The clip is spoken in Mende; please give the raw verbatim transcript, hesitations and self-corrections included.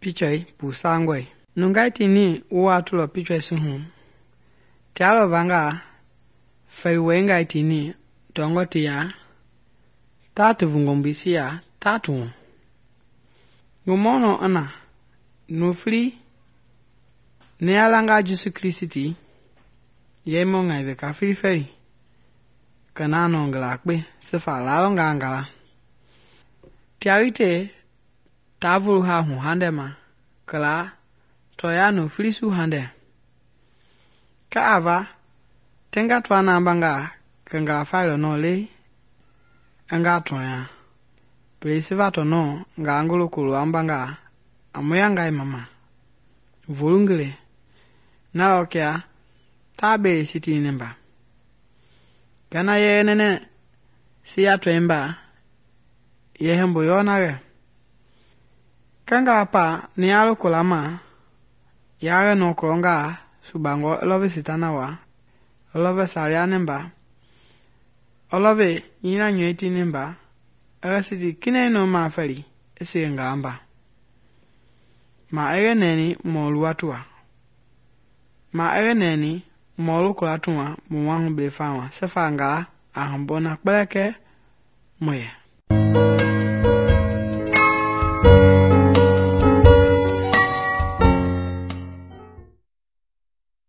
picture pu sangway nungai tini wa tulo picture suhu tialo vanga fei wengai tini dongo tia tatu vungombisia tatu ngumono ana nufli nealanga Jesu Kristi yemo ngai ve ka fili kana no ngala kpe sefa la ngala tiawite tavulu ha hu handema kala toya no flisu hande ka ava tenga twana banga kanga falo no le anga toya plesiva to no nga angolo kulu ambanga amoya ngai mama volungele nalokia tabe siti nemba kana ye nene siya twemba ye hembo yona ge kanga pa ni alo kulama yare no kronga subango love sitana wa love salia nemba love yina nyweti nemba agasiti kine no ma feli ese ngamba ma ege neni mo luatua ma ege neni mo lukula tuwa mo wangu blefawa sefanga ahambona kpeleke moye